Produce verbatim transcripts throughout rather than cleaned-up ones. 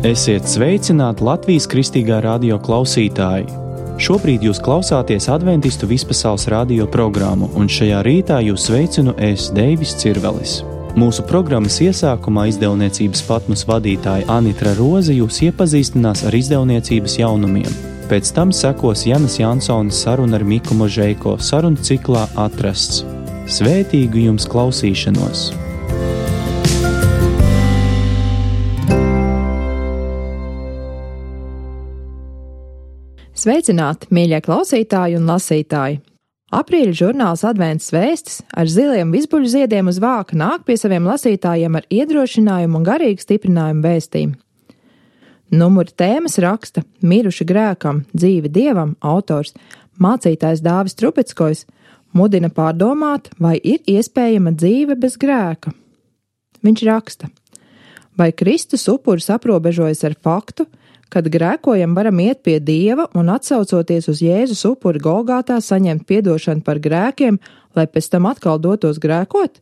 Esiet sveicināti Latvijas Kristīgā radio klausītāji! Šobrīd jūs klausāties Adventistu vispasaules radio programmu, un šajā rītā jūs sveicinu es, Deivis Cirvelis. Mūsu programmas iesākumā izdevniecības Patmos vadītāja Anitra Roze jūs iepazīstinās ar izdevniecības jaunumiem. Pēc tam sekos Janas Jansonas saruna ar Miku Možeiko sarunu ciklā Atrasts. Svētīgu jums klausīšanos! Sveicināti, mīļie klausītāji un lasītāji! Aprīļa žurnāls Advents vēstis ar ziliem vizbuļu ziediem uz vāka nāk pie saviem lasītājiem ar iedrošinājumu un garīgu stiprinājumu vēstījumu. Numura tēmas raksta Miruši grēkam, dzīve Dievam autors mācītājs Dāvis Trubeckojs mudina pārdomāt, vai ir iespējama dzīve bez grēka. Viņš raksta: vai Kristus upuris aprobežojas ar faktu, kad grēkojam varam iet pie Dieva un atsaucoties uz Jēzus upuri Golgātā saņemt piedošanu par grēkiem, lai pēc tam atkal dotos grēkot?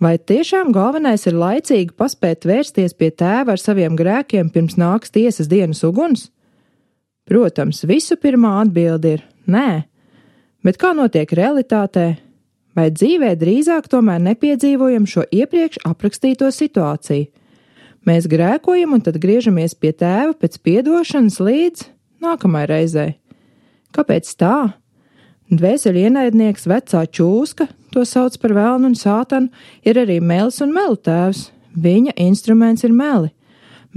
Vai tiešām galvenais ir laicīgi paspēt vērsties pie Tēva ar saviem grēkiem pirms nāks tiesas dienas uguns? Protams, visu pirmā atbilde ir nē, bet kā notiek realitātē? Vai dzīvē drīzāk tomēr nepiedzīvojam šo iepriekš aprakstīto situāciju? Mēs grēkojam un tad griežamies pie Tēva pēc piedošanas līdz nākamai reizei. Kāpēc tā? Dvēseli ienaidnieks vecā čūska, to sauc par velnu un sātanu, ir arī melis un melu tēvs. Viņa instruments ir meli.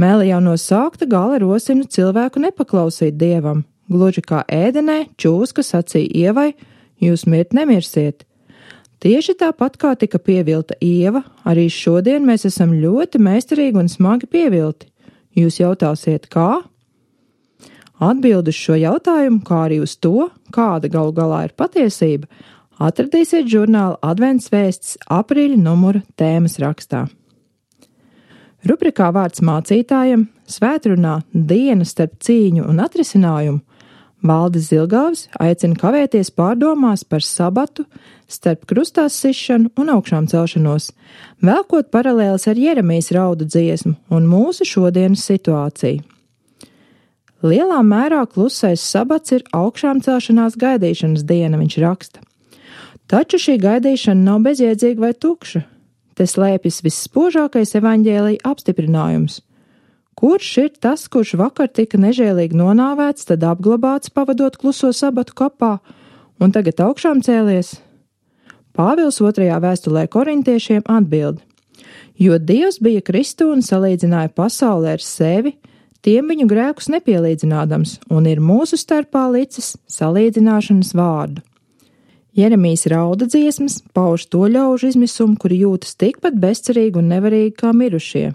Meli jau no sākta gala rosina cilvēku nepaklausīt Dievam. Gluži kā ēdenē čūska sacīja Ievai: jūs mirt nemirsiet. Tieši tāpat kā tika pievilta Ieva, arī šodien mēs esam ļoti meistarīgi un smagi pievilti. Jūs jautāsiet, kā? Atbildi uz šo jautājumu, kā arī uz to, kāda galu galā ir patiesība, atradīsiet žurnāla Advents vēsts aprīļa numura tēmas rakstā. Rubrikā Vārds mācītājam svētrunā Diena starp cīņu un atrisinājumu Valdis Zilgavs aicina kavēties pārdomās par sabatu starp krustās sišanu un augšām celšanos, velkot paralēles ar Jeremijas raudu dziesmu un mūsu šodienas situāciju. Lielā mērā klusais sabats ir augšām celšanās gaidīšanas diena, viņš raksta. Taču šī gaidīšana nav bezjēdzīga vai tukša. Te slēpjas visspožākais evaņģēlija apstiprinājums. Kurš ir tas, kurš vakar tika nežēlīgi nonāvēts, tad apglabāts pavadot kluso sabatu kapā un tagad augšām cēlies? Pāvils otrajā vēstulē korintiešiem atbild: jo Dievs bija Kristu un salīdzināja pasauli ar sevi, tiem viņu grēkus nepielīdzinādams, un ir mūsu starpā licis salīdzināšanas vārdu. Jeremijas rauda dziesmas pauž to ļaužu izmisumu, kuri jūtas tikpat bezcerīgi un nevarīgi kā mirušie.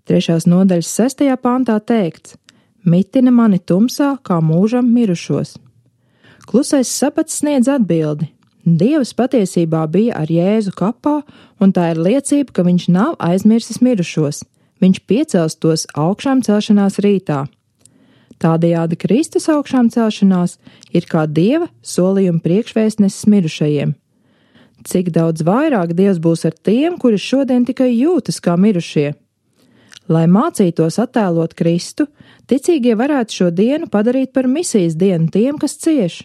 Trešās nodaļas sestajā pantā teikts: mitina mani tumsā, kā mūžam mirušos. Klusais sabats sniedz atbildi. Dievs patiesībā bija ar Jēzu kapā, un tā ir liecība, ka viņš nav aizmirsis mirušos. Viņš piecels tos augšām celšanās rītā. Tādējādi Kristus augšām celšanās ir kā Dieva solījuma priekšvēstnesis mirušajiem. Cik daudz vairāk Dievs būs ar tiem, kuri šodien tikai jūtas kā mirušie? Lai mācītos attēlot Kristu, ticīgie varētu šo dienu padarīt par misijas dienu tiem, kas cieš.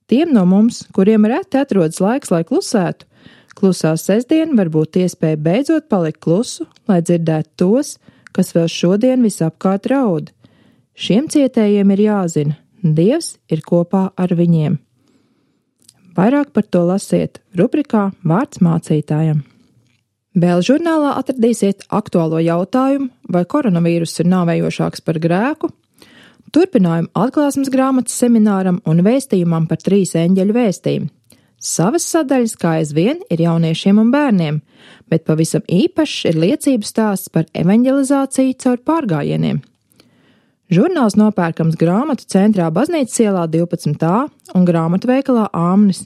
Tiem no mums, kuriem reti atrodas laiks, lai klusētu, klusā sestdiena var būt iespēja beidzot palikt klusu, lai dzirdētu tos, kas vēl šodien visapkārt raud. Šiem cietējiem ir jāzina, Dievs ir kopā ar viņiem. Vairāk par to lasiet rubrikā Vārds mācītājam. Vēl žurnālā atradīsiet aktuālo jautājumu, vai koronavīruss ir nāvējošāks par grēku, turpinājumu atklāsmes grāmatas semināram un vēstījumam par trīs eņģeļu vēstījumu. Savas sadaļas kā aizvien ir jauniešiem un bērniem, bet pavisam īpašs ir liecību stāsts par evanģelizāciju caur pārgājieniem. Žurnāls nopērkams grāmatu centrā Baznīcas ielā divpadsmit A un grāmatu veikalā Āmnis.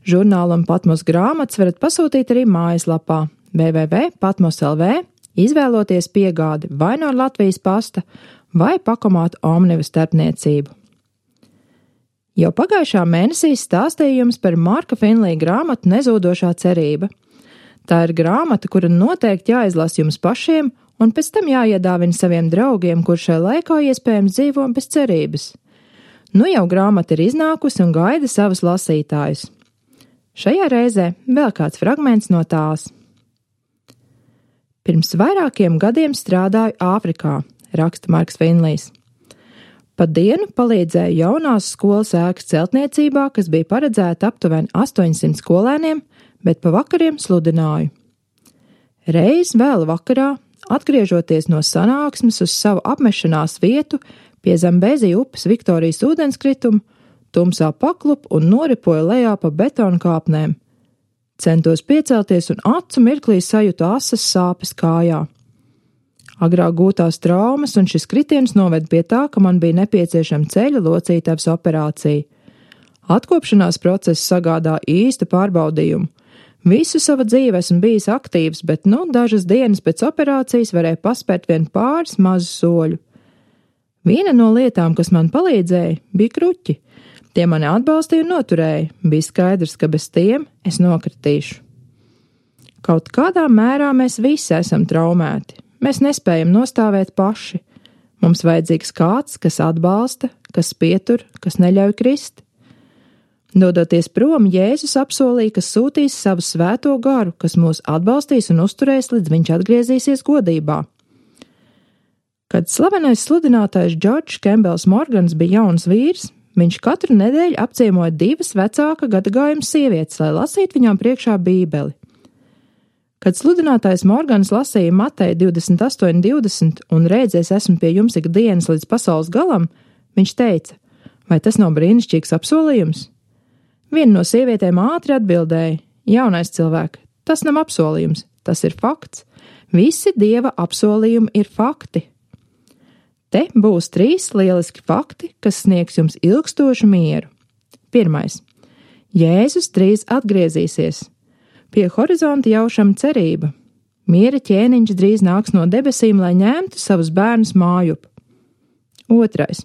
Žurnālu un Patmos grāmatas varat pasūtīt arī mājaslapā w w w punkt patmos punkt l v, izvēloties piegādi vai no Latvijas pasta vai pakomātu Omniva starpniecību. Jau pagājušā mēnesī stāstīju jums par Marka Finlija grāmatu Nezūdošā cerība. Tā ir grāmata, kura noteikti jāizlasa jums pašiem un pēc tam jāiedāvina saviem draugiem, kur šai laikā iespējams dzīvo bez cerības. Nu jau grāmata ir iznākusi un gaida savus lasītājus. Šajā reizē vēl kāds fragments no tās. Pirms vairākiem gadiem strādāju Āfrikā, raksta Marks Finlijs. Pa dienu palīdzēju jaunās skolas ēkas celtniecībā, kas bija paredzēta aptuveni astoņsimt skolēniem, bet pa vakariem sludināju. Reiz vēl vakarā, atgriežoties no sanāksmes uz savu apmešanās vietu pie Zambezi upes Viktorijas ūdenskrituma, tumsā paklupu un noripoju lejā pa betona kāpnēm. Centos piecelties un acu mirklī sajūtu asas sāpes kājā. Agrāk gūtās traumas un šis kritiens noved pie tā, ka man bija nepieciešama ceļa locītavas operācija. Atkopšanās process sagādā īstu pārbaudījumu. Visu savu dzīvi esmu bijis aktīvs, bet nu dažas dienas pēc operācijas varēju paspērt vien pāris mazu soļu. Viena no lietām, kas man palīdzēja, bija kruķi. Tie mani atbalstīja un noturēja. Bija skaidrs, ka bez tiem es nokritīšu. Kaut kādā mērā mēs visi esam traumēti. Mēs nespējam nostāvēt paši. Mums vajadzīgs kāds, kas atbalsta, kas pietur, kas neļauj krist. Dodoties prom, Jēzus apsolīja, ka sūtīs savu svēto garu, kas mūs atbalstīs un uzturēs, līdz viņš atgriezīsies godībā. Kad slavenais sludinātājs Džordžs Kembels Morgans bija jauns vīrs, viņš katru nedēļu apciemoja divas vecāka gadagājuma sievietes, lai lasītu viņām priekšā bībeli. Kad sludinātājs Morgans lasīja Mateja divdesmit astoņi divdesmit un rēdzies esmu pie jums ik dienas līdz pasaules galam, viņš teica, vai tas nav brīnišķīgs apsolījums? Viena no sievietēm ātri atbildēja, jaunais cilvēks, tas nav apsolījums, tas ir fakts. Visi Dieva apsolījumi ir fakti. Te būs trīs lieliski fakti, kas sniegs jums ilgstošu mieru. Pirmais. Jēzus drīz atgriezīsies. Pie horizonta jaušama cerība. Miera ķēniņš drīz nāks no debesīm, lai ņemtu savus bērnus mājup. Otrais.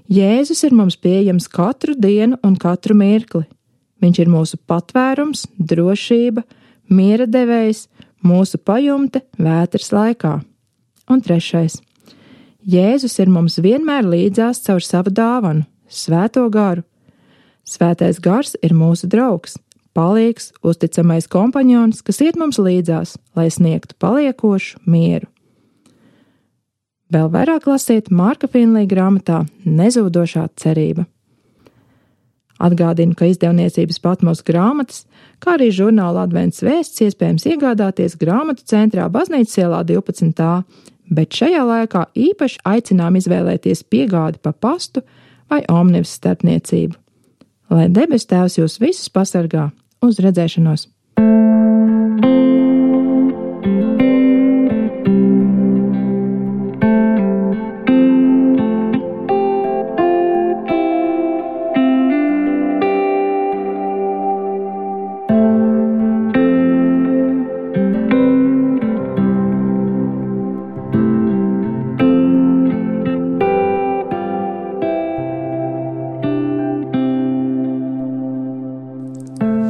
Jēzus ir mums pieejams katru dienu un katru mirkli. Viņš ir mūsu patvērums, drošība, miera devējs, mūsu pajumte vētras laikā. Un trešais. Jēzus ir mums vienmēr līdzās caur savu dāvanu, svēto garu. Svētais gars ir mūsu draugs, palīgs, uzticamais kompaņons, kas iet mums līdzās, lai sniegtu paliekošu mieru. Vēl vairāk lasiet Marka Finlija grāmatā Nezūdošā cerība. Atgādinu, ka izdevniecības Patmos grāmatas, kā arī žurnāla Advents vēsts iespējams iegādāties grāmatu centrā Baznīcas ielā divpadsmit A, bet šajā laikā īpaši aicinām izvēlēties piegādi pa pastu vai omnibus starpniecību. Lai debes Tēvs jūs visus pasargā, uz redzēšanos!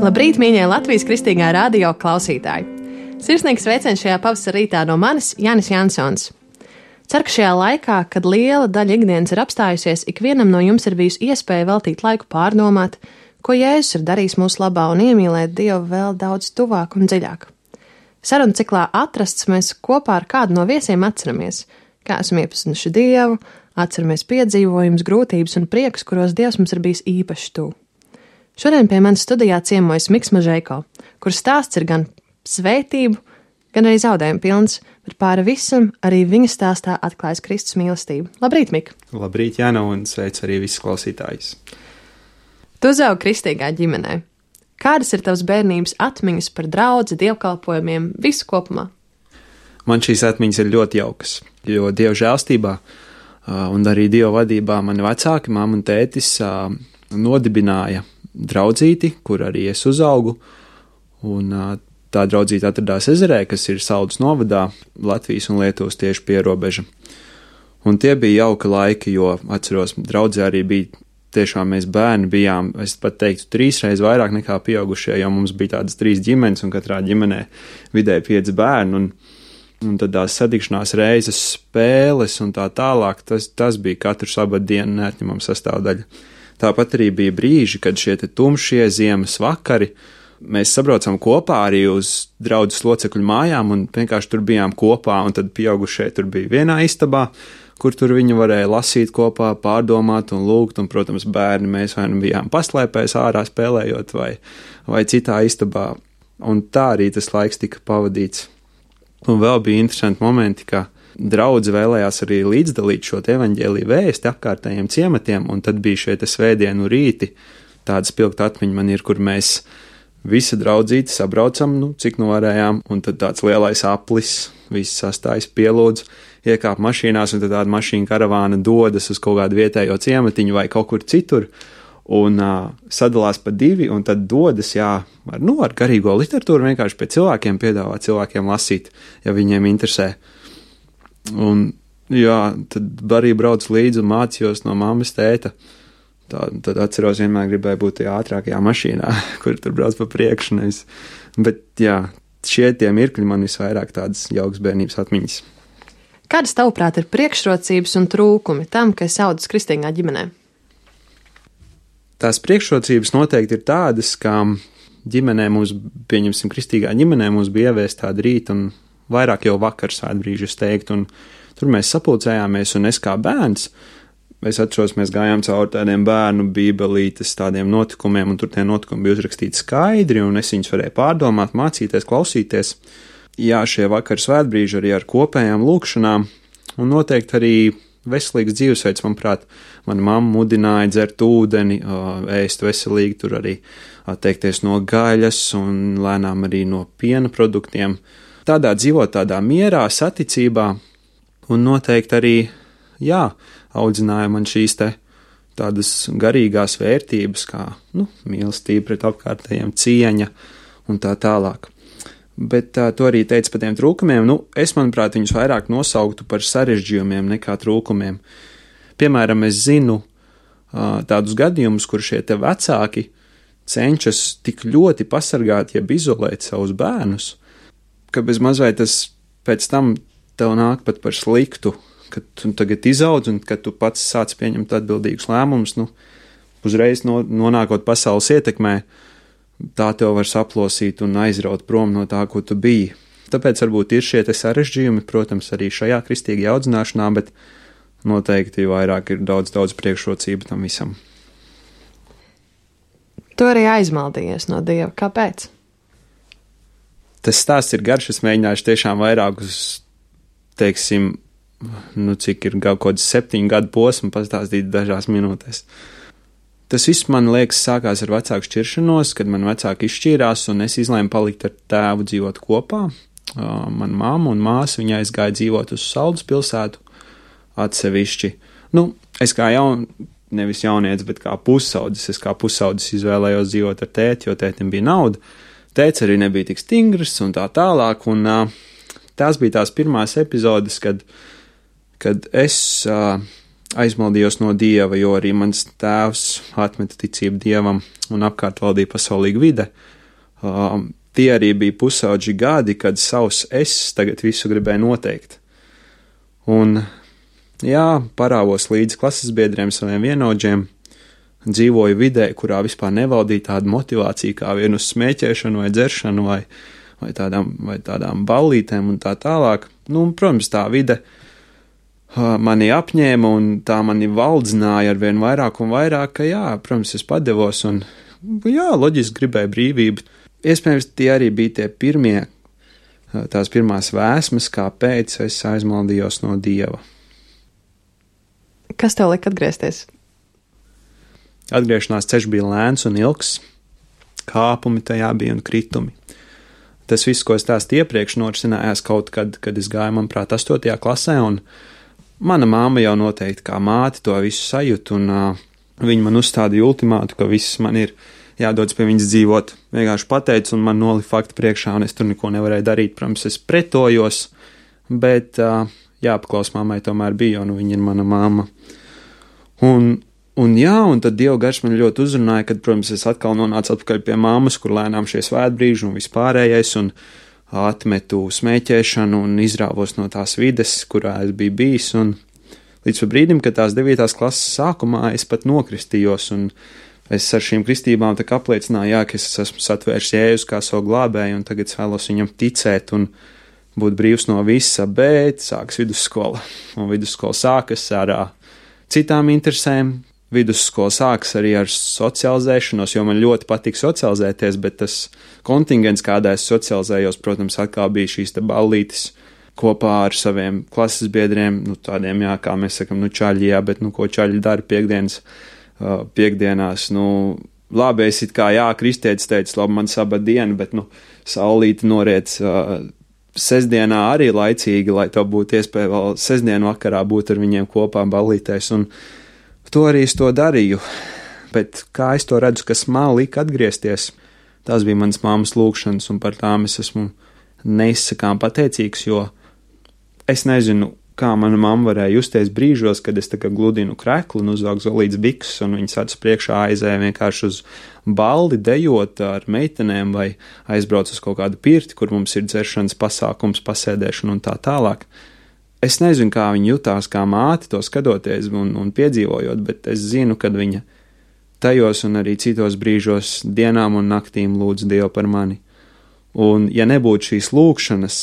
Labrīt, mīļie Latvijas Kristīgā radio klausītāji! Sirsnīgs sveiciens šajā pavasara rītā no manis, Jānis Jansons. Ceru, ka šajā laikā, kad liela daļa ikdienas ir apstājusies, ikvienam no jums ir bijusi iespēja veltīt laiku pārdomāt, ko Jēzus ir darījis mūsu labā un iemīlēt Dievu vēl daudz tuvāk un dziļāk. Sarunu ciklā Atrasts mēs kopā ar kādu no viesiem atceramies, kā esam iepazinuši Dievu, atceramies piedzīvojumus, grūtības un priekus, kuros Dievs mums ir bijis īpaši tuvu. Šodien pie manis studijā ciemojas Miks Mažeiko, kuras stāsts ir gan svētību, gan arī zaudējumu pilns, bet pāri visam arī viņa stāstā atklājas Kristus mīlestība. Labrīt, Mik! Labrīt, Jāna, un sveic arī visus klausītājus! Tu uzaugi kristīgā ģimenē. Kādas ir tavas bērnības atmiņas par draudzi, dievkalpojumiem, visu kopumā? Man šīs atmiņas ir ļoti jaukas, jo Dieva žēlstībā un arī Dieva vadībā mani vecāki, mamma un tētis, nodibināja draudzīti, kur arī es uzaugu, un tā draudzīte atradās Ezerē, kas ir Saldus novadā, Latvijas un Lietuvas tieši pierobeža. Un tie bija jauka laiki, jo atceros, draudzē arī bija tiešām mēs bērni bijām, es pat teiktu, trīsreiz vairāk nekā pieaugušie, jo mums bija tādas trīs ģimenes, un katrā ģimenē vidēji pieci bērni, un un tad tās satikšanās reizes, spēles un tā tālāk, tas, tas bija katru sabatu dienu neatņemama sastāvdaļa. Tāpat arī bija brīži, kad šie te tumšie ziemas vakari, mēs sabraucām kopā arī uz draudzes locekļu mājām un vienkārši tur bijām kopā, un tad pieaugušie tur bija vienā istabā, kur tur viņi varēja lasīt kopā, pārdomāt un lūgt, un, protams, bērni mēs vai nu bijām paslēpēs ārā spēlējot vai, vai citā istabā, un tā arī tas laiks tika pavadīts. Un vēl bija interesanti momenti, ka draudze vēlējās arī līdzdalīt šo evaņģēliju vēsti apkārtējiem ciematiem, un tad bija šie te svētdienu rīti, tāda spilgta atmiņa man ir, kur mēs visa draudzīte sabraucam, nu, cik nu varējām, un tad tāds lielais aplis, viss sastājas pielūdz, iekāp mašīnās, un tad tāda mašīna karavāna dodas uz kaut kādu vietējo ciematiņu vai kaut kur citur, un uh, sadalās pa divi, un tad dodas, jā, ar, nu, ar garīgo literatūru vienkārši pie cilvēkiem piedāvā cilvēkiem lasīt, ja viņiem interesē. Un, jā, tad arī brauc līdzi un mācījos no mammas tēta. Tā, tad atceros, vienmēr gribēju būt tajā ātrākajā mašīnā, kur tur brauc pa priekšu. Nevis. Bet, jā, šie tie mirkļi man visvairāk tādas jaukas bērnības atmiņas. Kādas, tavuprāt, ir priekšrocības un trūkumi tam, ka es audzis kristīgā ģimenē? Tās priekšrocības noteikti ir tādas, ka ģimenē mums, pieņemsim, kristīgā ģimenē mums bija ieviest tāda rīta un vairāk jau vakar svētbrīži, es teiktu, un tur mēs sapulcējāmies, un es kā bērns, es atceros, mēs gājām cauri tādiem bērnu bībelītes tādiem notikumiem, un tur tie notikumi bija uzrakstīti skaidri, un es viņus varēju pārdomāt, mācīties, klausīties. Jā, šie vakar svētbrīži arī ar kopējām lūkšanām, un noteikti arī veselīgs dzīvesveids, manuprāt, mana mamma mudināja dzert ūdeni, ēst veselīgi, tur arī atteikties no gaļas un lēnām arī no piena produktiem. Tādā dzīvot tādā mierā, saticībā, un noteikti arī, jā, audzināja man šīs te tādas garīgās vērtības, kā, nu, mīlestība pret apkārtējiem, cieņa un tā tālāk. Bet tā, to arī teica par tiem trūkumiem, nu, es, manuprāt, viņus vairāk nosauktu par sarežģījumiem nekā trūkumiem. Piemēram, es zinu uh, tādus gadījumus, kur šie te vecāki cenšas tik ļoti pasargāt, jeb izolēt savus bērnus, ka bez mazliet tas pēc tam tev nāk pat par sliktu, kad tu tagad izaudz un kad tu pats sāc pieņemt atbildīgus lēmumus, nu, uzreiz no, nonākot pasaules ietekmē, tā tev var saplosīt un aizraut prom no tā, ko tu biji. Tāpēc varbūt ir šie te sarežģījumi, protams, arī šajā kristīgajā audzināšanā, bet noteikti vairāk ir daudz, daudz priekšrocību tam visam. Tu arī aizmaldījies no Dieva. Kāpēc? Tas stāsts ir garš, es mēģināšu tiešām vairākus, teiksim, nu cik ir kaut kāds septiņu gadu posmu pastāstīt dažās minūtēs. Tas viss, man liekas, sākās ar vecāku šķiršanos, kad man vecāki izšķīrās un es izlēmu palikt ar tēvu dzīvot kopā. Uh, man mamma un māsa, viņa aizgāja dzīvot uz Saldus pilsētu atsevišķi. Nu, es kā jaun, nevis jaunietis, bet kā pusaudzis, es kā pusaudzis izvēlējos dzīvot ar tēti, jo tētim bija nauda. Tēts arī nebija tik stingrs un tā tālāk, un uh, tās bija tās pirmās epizodes, kad, kad es... Uh, aizmaldījos no Dieva, jo arī mans tēvs atmeta ticību Dievam un apkārt valdīja pasaulīga vide. Uh, tie arī bija pusauģi gadi, kad savs es tagad visu gribēju noteikt. Un, jā, parāvos līdz klases biedriem saviem vienaudžiem, dzīvoju vidē, kurā vispār nevaldīja tāda motivācija kā vien uz smēķēšanu vai dzeršanu vai, vai, tādām, vai tādām ballītēm un tā tālāk. Nu, protams, tā vide mani apņēma un tā mani valdzināja ar vien vairāk un vairāk, ka jā, protams, es padevos un jā, loģiski gribēju brīvību. Iespējams, tie arī bija tie pirmie, tās pirmās vēsmas, kāpēc es aizmaldījos no Dieva. Kas tev lika atgriezties? Atgriešanās ceļš bija lēns un ilgs, kāpumi tajā bija un kritumi. Tas viss, ko es stāstu iepriekš, norisinājās kaut kad, kad es gāju, manuprāt, astotajā klasē, un mana māma jau noteikti kā māte to visu sajūt, un uh, viņa man uzstādīja ultimātu, ka viss man ir jādodas pie viņas dzīvot. Vienkārši pateica, un man nolika fakti priekšā, un es tur neko nevarēju darīt. Protams, es pretojos, bet uh, jāpaklaus mammai tomēr bija, un viņa ir mana mamma. Un, un jā, un tad Dieva gars man ļoti uzrunāja, kad, protams, es atkal nonācu atpakaļ pie mammas, kur lēnām šie svētbrīži un vispārējais, un atmetu smēķēšanu un izrāvos no tās vides, kurā es biju bijis, un līdz brīdim, kad tās devītās klases sākumā es pat nokristījos, un es ar šīm kristībām tā kā apliecināju, jā, ka es esmu satvērs Jēzus kā savu glābēju, un tagad es vēlos viņam ticēt un būt brīvs no visa, bet sākas vidusskola, un vidusskola sākas ar citām interesēm. Vidusskola sākas arī ar socializēšanos, jo man ļoti patīk socializēties, bet tas kontingents, kādā es socializējos, protams, atkal bija šīs te ballītes kopā ar saviem klases biedriem, nu tādiem, jā, kā mēs sakam, nu čaļi, jā, bet nu ko čaļi dara piekdienas, uh, piekdienās, nu labi, es it kā, jā, kristietis teica, labi, man saba diena, bet nu saulīti noriec uh, sestdienā arī laicīgi, lai to būtu iespēja vēl sestdienu vakarā būt ar viņiem kopā ballītēs, un to arī es to darīju, bet kā es to redzu, kas man lika atgriezties, tās bija manas mammas lūgšanas, un par tām es esmu neizsakām pateicīgs, jo es nezinu, kā mana mamma varēja justies brīžos, kad es tā kā gludinu kreklu un uzvelku zolītas bikses, un viņas acis priekšā aizēja vienkārši uz baldi dejot ar meitenēm vai aizbrauc uz kaut kādu pirti, kur mums ir dzeršanas pasākums, pasēdēšana un tā tālāk. Es nezinu, kā viņa jutās kā māte to skatoties un, un piedzīvojot, bet es zinu, kad viņa tajos un arī citos brīžos dienām un naktīm lūdz Dievu par mani. Un ja nebūtu šīs lūgšanas,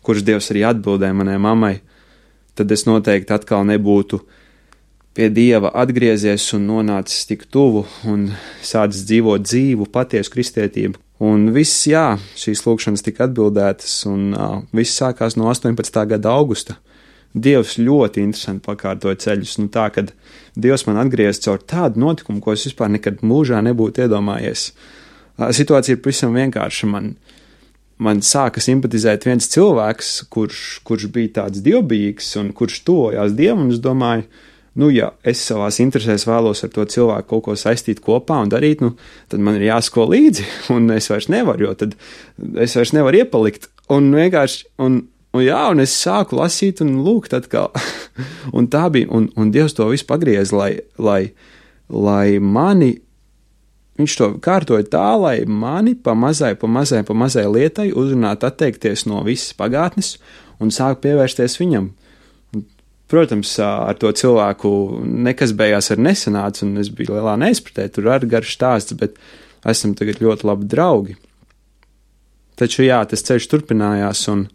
kuras Dievs arī atbildēja manai mammai, tad es noteikti atkal nebūtu pie Dieva atgriezies un nonācis tik tuvu un sācis dzīvot dzīvu, patiesu kristietību. Un viss, jā, šīs lūgšanas tika atbildētas, un uh, viss sākās no astoņpadsmitā gada augusta. Dievs ļoti interesanti pakārtoja ceļus, nu tā, kad Dievs man atgriez caur tādu notikumu, ko es vispār nekad mūžā nebūtu iedomājies. Uh, situācija ir pavisam vienkārša. Man, man sāka simpatizēt viens cilvēks, kurš, kurš bija tāds dievbijīgs un kurš tojās Dievam, un es domāju, nu, ja es savās interesēs vēlos ar to cilvēku kaut ko saistīt kopā un darīt, nu, tad man ir jāsko līdzi, un es vairs nevaru, jo tad es vairs nevaru iepalikt, un vienkārši, un, un jā, un es sāku lasīt un lūgt atkal, un tā bija, un, un Dievs to visu pagriez, lai, lai, lai mani, viņš to kārtoja tā, lai mani pa mazai, pa mazai, pa mazai lietai uzrunāt atteikties no visas pagātnes un sāk pievērsties viņam. Protams, ar to cilvēku nekas beigās ar nesanāca, un es biju lielā neizpratē, tur arī garš stāsts, bet esam tagad ļoti labi draugi. Taču jā, tas ceļš turpinājās, un,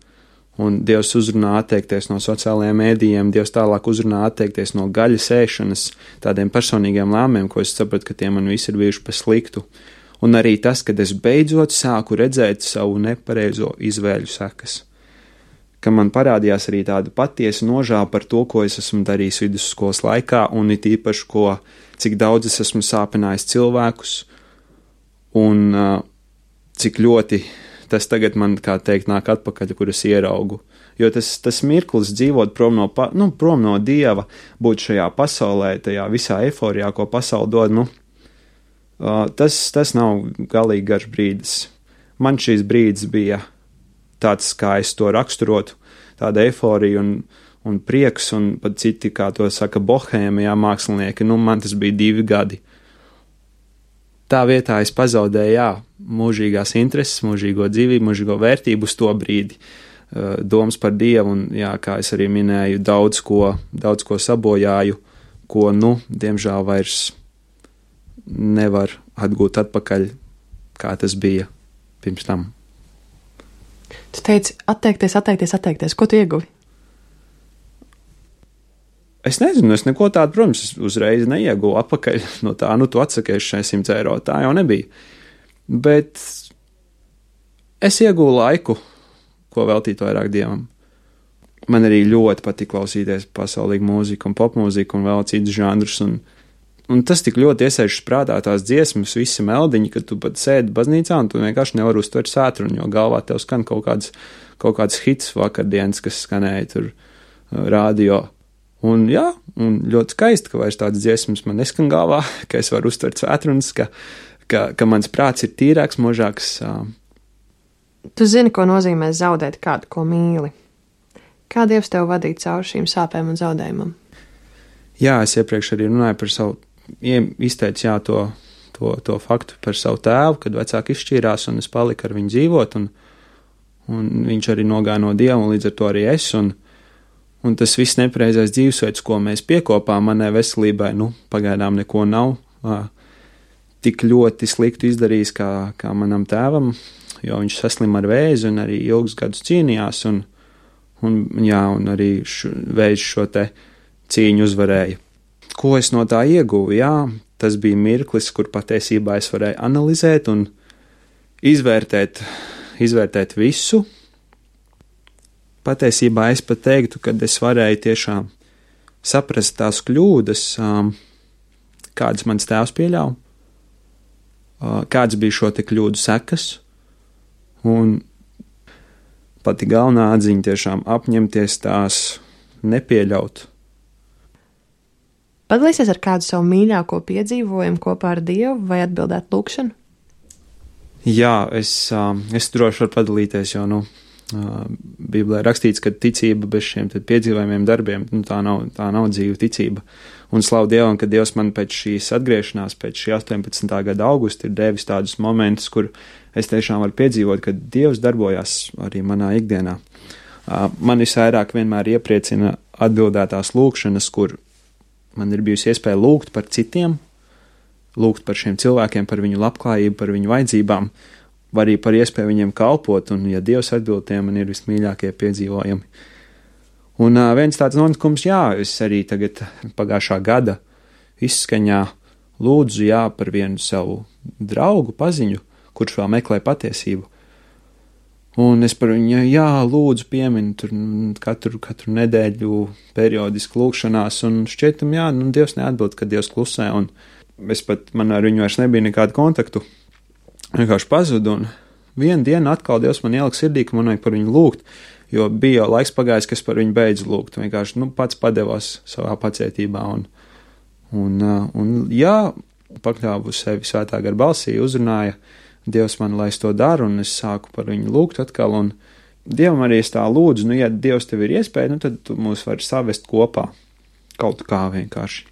un Dievs uzrunā atteikties no sociālajiem mēdījiem, Dievs tālāk uzrunā atteikties no gaļas ēšanas, tādiem personīgiem lēmumiem, ko es sapratu, ka tie man visi ir bijuši pa sliktu. Un arī tas, kad es beidzot sāku redzēt savu nepareizo izvēļu sekas. Ka man parādījās arī tāda patiesa nožēla par to, ko es esmu darījis vidusskolas laikā, un it īpaši, ko, cik daudz es esmu sāpinājis cilvēkus, un uh, cik ļoti tas tagad man, kā teikt, nāk atpakaļ, kur es ieraugu. Jo tas, tas mirklis dzīvot prom no, pa, nu, prom no Dieva, būt šajā pasaulē, tajā visā eiforijā, ko pasauli dod, nu, uh, tas, tas nav galīgi garš brīdis. Man šīs brīdis bija tāds, kā es to raksturotu, tāda eiforija un, un prieks, un pat citi, kā to saka, bohēma, jā, mākslinieki, nu, man tas bija divi gadi. Tā vietā es pazaudēju, jā, mūžīgās intereses, mūžīgo dzīvību, mūžīgo vērtību uz to brīdi, domas par Dievu, un, jā, kā es arī minēju, daudz ko, daudz ko sabojāju, ko, nu, diemžēl vairs nevar atgūt atpakaļ, kā tas bija pirms tam. Tu teici, atteikties, atteikties, atteikties. Ko tu ieguvi? Es nezinu, es neko tādu, protams, uzreiz neieguvu atpakaļ no tā, nu, tu atsakies šai simts eiro, tā jau nebija. Bet es ieguvu laiku, ko veltīt vairāk Dievam. Man arī ļoti patīk klausīties pasaulīgu mūziku un popmūziku un vēl citus žanrus, un Un tas tik ļoti iesēžas prātā tās dziesmas, visi meldiņi, ka tu pat sēdi baznīcā un tu vienkārši nevar uztvert svētrunu, jo galvā tev skan kaut kāds, kaut kāds hits vakardienas, kas skanēja tur radio. Un jā, un ļoti skaisti, ka vairs tādas dziesmas man neskan galvā, ka es varu uztvert svētrunas, ka, ka, ka mans prāts ir tīrāks, možāks. Tu zini, ko nozīmē zaudēt kādu, ko mīli. Kā Dievs tev vadīja cauri šīm sāpēm un zaudējumam? Jā, es iepriekš arī runāju par savu izteicu jā, to, to, to faktu par savu tēvu, kad vecāki izšķīrās un es paliku ar viņu dzīvot, un, un viņš arī nogāja no Dieva, un līdz ar to arī es, un, un tas viss nepareizais dzīvesveids, ko mēs piekopām manai veselībai, nu, pagaidām neko nav uh, tik ļoti sliktu izdarījis kā, kā manam tēvam, jo viņš saslima ar vēzi un arī ilgus gadus cīnījās, un, un, jā, un arī š, vējš šo te cīņu uzvarēja. Ko es no tā ieguvu? Jā, tas bija mirklis, kur patiesībā es varēju analizēt un izvērtēt, izvērtēt visu. Patiesībā es pat teiktu, ka es varēju tiešām saprast tās kļūdas, um, kādas mans tēvs pieļauj, uh, kādas bija šo te kļūdu sekas, un pati galvenā atziņa tiešām apņemties tās nepieļaut. Padalīsies ar kādu savu mīļāko piedzīvojumu kopā ar Dievu vai atbildēt lūkšanu? Jā, es, um, es droši varu padalīties, jo, nu, uh, Bībelē rakstīts, ka ticība bez šiem tad piedzīvojumiem darbiem, nu, tā nav, tā nav dzīva ticība. Un slavu Dievam, ka Dievs man pēc šīs atgriešanās, pēc šī astoņpadsmitā gada augusta ir devis tādus momentus, kur es tiešām varu piedzīvot, ka Dievs darbojās arī manā ikdienā. Uh, man visvairāk vienmēr iepriecina atbildētās lūkšanas, kur man ir bijusi iespēja lūgt par citiem, lūgt par šiem cilvēkiem, par viņu labklājību, par viņu vajadzībām, vai arī par iespēju viņiem kalpot, un, ja Dievs atbild, tie man ir vismīļākie piedzīvojumi. Un uh, viens tāds notikums, jā, es arī tagad pagājušā gada izskaņā lūdzu, jā, par vienu savu draugu, paziņu, kurš vēl meklē patiesību. Un es par viņu, jā, lūdzu pieminu tur katru, katru nedēļu periodiski lūkšanās, un šķietam, jā, nu, Dievs neatbild, kad Dievs klusē, un es pat, man ar viņu vairs nebija nekādu kontaktu, vienkārši pazudu, un vienu dienu atkal Dievs man ielika sirdī, ka man vajag par viņu lūgt, jo bija jau laiks pagājis, ka es par viņu beidzu lūgt, vienkārši, nu, pats padevās savā pacietībā, un, un, un jā, pakļāvu sevi svētā gara balsī, uzrunāja Dievs man, lai es to daru, un es sāku par viņu lūgt atkal, un Dievam arī es tā lūdzu, nu, ja Dievs tev ir iespēja, nu, tad tu mūs vari savest kopā, kaut kā vienkārši.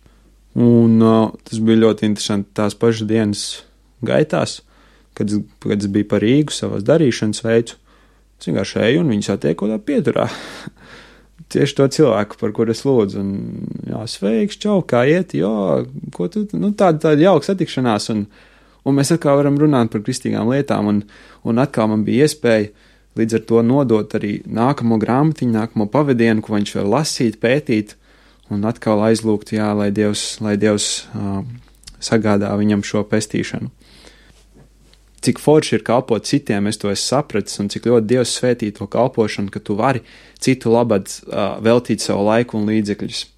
Un uh, tas bija ļoti interesanti tās pašas dienas gaitās, kad, kad es biju par Rīgu savas darīšanas veicu, es vienkārši eju un viņu satieku tā pieturā. Tieši to cilvēku, par kur es lūdzu, un jā, sveiks, čau, kā iet, jo, ko tu, nu, tāda, tāda jauka satikšanās, un Un mēs atkal varam runāt par kristīgām lietām, un, un atkal man bija iespēja līdz ar to nodot arī nākamo grāmatiņu, nākamo pavadienu, ko viņš var lasīt, pētīt, un atkal aizlūgt, jā, lai Dievs, lai Dievs uh, sagādā viņam šo pestīšanu. Cik forši ir kalpot citiem, es to esmu sapratis, un cik ļoti Dievs svētī to kalpošanu, ka tu vari citu labad uh, veltīt savu laiku un līdzekļus.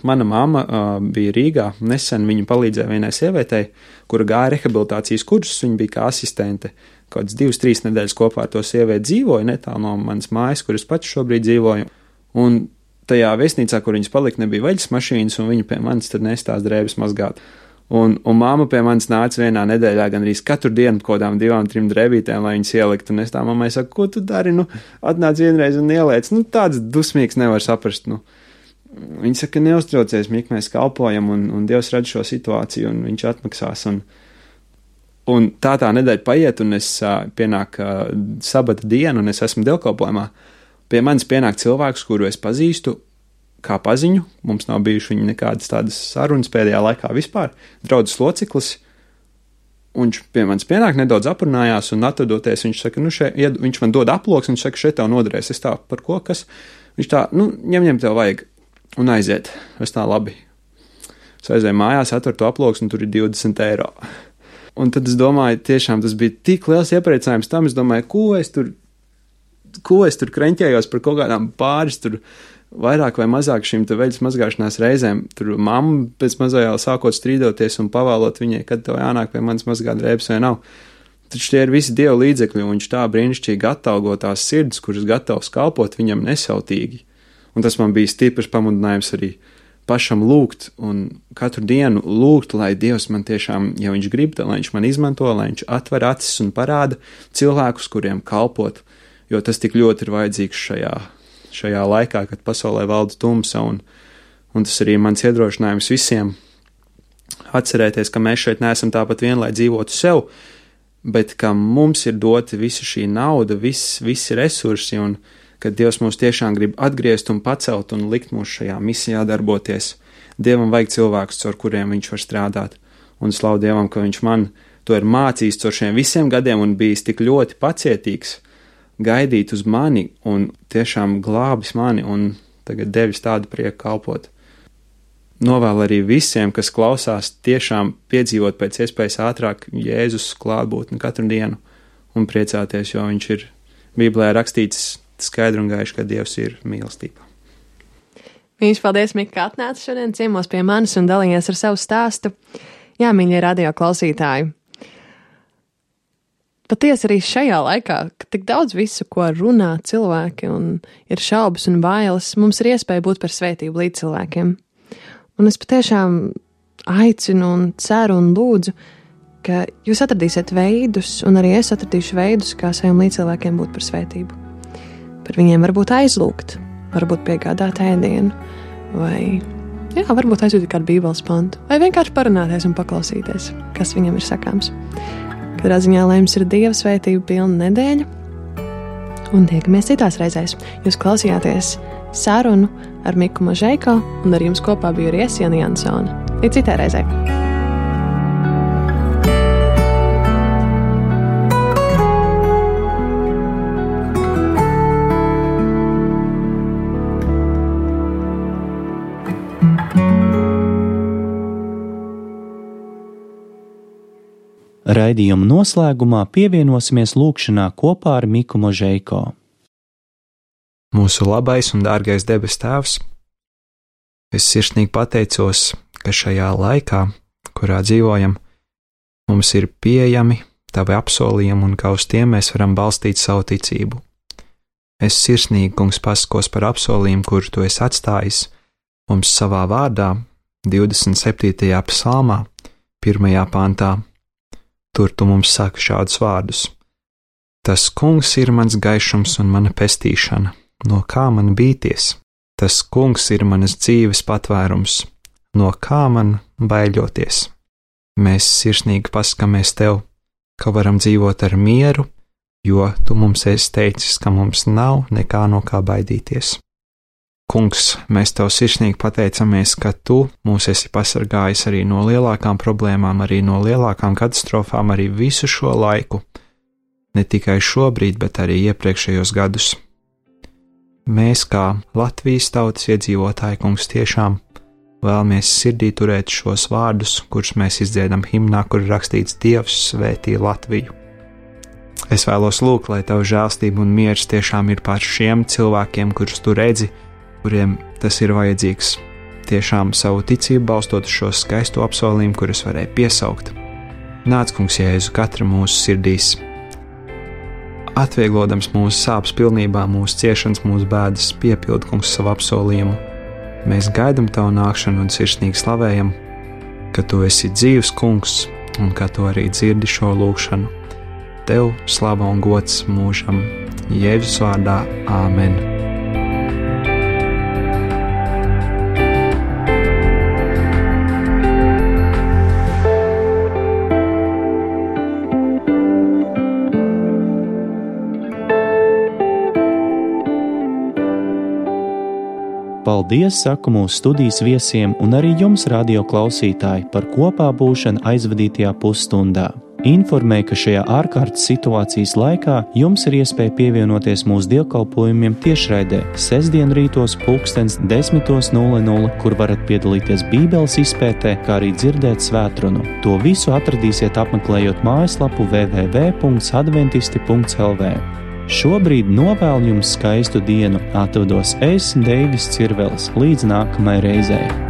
Mana mamma uh, bija Rīgā, nesen viņa palīdzēja vienai sievietei, kura gāja rehabilitācijas kursus, viņa bija kā asistente, kāds divas, trīs nedēļas kopā ar to sievieti dzīvoja, netālu no manas mājas, kuras pats šobrīd dzīvoju, un tajā viesnīcā, kur viņas palika, nebija veļas mašīnas, un viņa pie manis tad nestās drēbes mazgāt. Un, un mamma pie manis nāca vienā nedēļā gan arī katru dienu kodām divām, trim drēbītēm, lai viņas ielikt, un es tā mammai saku, ko tu dari, nu, atnāc vienreiz un ieliec, nu, tāds dusmīgs nevar saprast, nu. Viņi saka, neuztraucies, Mik, mēs kalpojam, un, un Dievs redz šo situāciju, un viņš atmaksās. Un, un tā tā nedēļa paiet, un es uh, pienāk uh, sabata dienu, un es esmu dievkalpojumā. Pie manis pienāk cilvēks, kuru es pazīstu kā paziņu. Mums nav bijuši viņa nekādas tādas sarunas pēdējā laikā vispār. Draudzes loceklis. Un viņš pie manis pienāk, nedaudz aprunājās, un atrodoties, viņš saka, nu, šeit, viņš man dod aploks, un viņš saka, šeit tev noderēs. Es tā, par ko, kas? Viņš tā, nu, ņem, ņem tev vajag. Un aiziet. Es tā labi. Es aizēju mājās, atveru to aploks, un tur ir divdesmit eiro. Un tad es domāju, tiešām tas bija tik liels iepriecinājums tam, es domāju, ko es tur, ko es tur kreņķējos par kaut kādām pāris, tur vairāk vai mazāk šīm te veļas mazgāšanās reizēm. Tur mamma pēc mazajā sākot strīdoties un pavēlot viņai, kad tev jānāk pie manis mazgāt drēbes vai nav. Taču tie ir visi Dieva līdzekļi, un viņš tā brīnišķīgi atalgo tās sirds, kuras gatavs kalpot viņam nesautīgi. Un tas man bija stiprs pamudinājums arī pašam lūgt un katru dienu lūgt, lai Dievs man tiešām, ja viņš grib, lai viņš man izmanto, lai viņš atver acis un parāda cilvēkus, kuriem kalpot, jo tas tik ļoti ir vajadzīgs šajā, šajā laikā, kad pasaulē valda tumsa, un, un tas arī mans iedrošinājums visiem atcerēties, ka mēs šeit neesam tāpat vien, lai dzīvotu sev, bet ka mums ir dota visa šī nauda, viss, visi resursi, un ka Dievs mūs tiešām grib atgriezt un pacelt un likt mūs šajā misijā darboties. Dievam vajag cilvēkus, caur kuriem viņš var strādāt, un slavu Dievam, ka viņš man to ir mācījis caur šiem visiem gadiem un bijis tik ļoti pacietīgs, gaidīt uz mani un tiešām glābis mani un tagad devis tādu prieku kalpot. Novēlu arī visiem, kas klausās, tiešām piedzīvot pēc iespējas ātrāk Jēzus klātbūtni katru dienu un priecāties, jo viņš ir Bībelē rakstīts skaidri un gaiši, ka Dievs ir mīlestība. Viņš paldies, Mika, ka atnāca šodien ciemos pie manis un dalījies ar savu stāstu. Jā, mīļie radio klausītāji. Patiesi arī šajā laikā, kad tik daudz visu, ko runā cilvēki un ir šaubas un bailes, mums ir iespēja būt par svētību līdz cilvēkiem. Un es patiešām aicinu un ceru un lūdzu, ka jūs atradīsiet veidus, un arī es atradīšu veidus, kā saviem līdzcilvēkiem būt par svētību. Par viņiem varbūt aizlūgt, varbūt piegādāt ēdienu, vai, jā, varbūt aizjūt kādu bībeles pantu, vai vienkārši parunāties un paklausīties, kas viņam ir sakāms. Katrā ziņā, lai jums ir Dieva svētība pilna nedēļa, un tiekamies citās reizēs. Jūs klausījāties sarunu ar Miku Možeiko, un ar jums kopā bija arī es, Jana Jansone. Līdz citai reizei! Raidījuma noslēgumā pievienosimies lūgšanā kopā ar Miku Možeiko. Mūsu labais un dārgais debes Tēvs, es sirsnīgi pateicos, ka šajā laikā, kurā dzīvojam, mums ir pieejami Tavi apsolījumi un ka uz tiem mēs varam balstīt savu ticību. Es sirsnīgi, Kungs, pasakos par apsolījumu, kuru Tu esi atstājis mums savā vārdā, divdesmit septītajā psalmā, pirmajā pantā. Tur Tu mums saki šādus vārdus. Tas Kungs ir mans gaišums un mana pestīšana, no kā man bīties. Tas Kungs ir manas dzīves patvērums, no kā man baiļoties. Mēs sirsnīgi pasakamies Tev, ka varam dzīvot ar mieru, jo Tu mums esi teicis, ka mums nav nekā no kā baidīties. Kungs, mēs Tev sirsnīgi pateicamies, ka Tu mūs esi pasargājis arī no lielākām problēmām, arī no lielākām katastrofām, arī visu šo laiku, ne tikai šobrīd, bet arī iepriekšējos gadus. Mēs kā Latvijas tautas iedzīvotāji, Kungs, tiešām vēlamies sirdī turēt šos vārdus, kurus mēs izdziedam himnā, kur rakstīts Dievs svētī Latviju. Es vēlos lūgt, lai Tavu žēlstība un miers tiešām ir pār šiem cilvēkiem, kurus Tu redzi, kuriem tas ir vajadzīgs, tiešām savu ticību balstot uz šo skaisto apsolījumu, kurus varēja piesaukt. Nāc, Kungs, Jēzu, katra mūsu sirdīs, atvieglodams mūsu sāpes pilnībā, mūsu ciešanas, mūsu bēdas, piepild, Kungs, savu apsolījumu. Mēs gaidam Tavu nākšanu un sirsnīgi slavējam, ka Tu esi dzīvs, Kungs, un ka Tu arī dzirdi šo lūgšanu. Tev slava un gods mūžam, Jēzus vārdā, āmen. Paldies, saku mūsu studijas viesiem un arī jums, radio klausītāji, par kopā būšanu aizvadītajā pusstundā. Informēju, ka šajā ārkārtas situācijas laikā jums ir iespēja pievienoties mūsu dievkalpojumiem tiešraidē sestdien rītos pulkstens desmit nulle nulle, kur varat piedalīties Bībeles izpētē, kā arī dzirdēt svētrunu. To visu atradīsiet apmeklējot mājaslapu w w w punkts adventisti punkts l v. Šobrīd novēlu jums skaistu dienu, atvados es, Deivis Cirvelis, līdz nākamai reizei.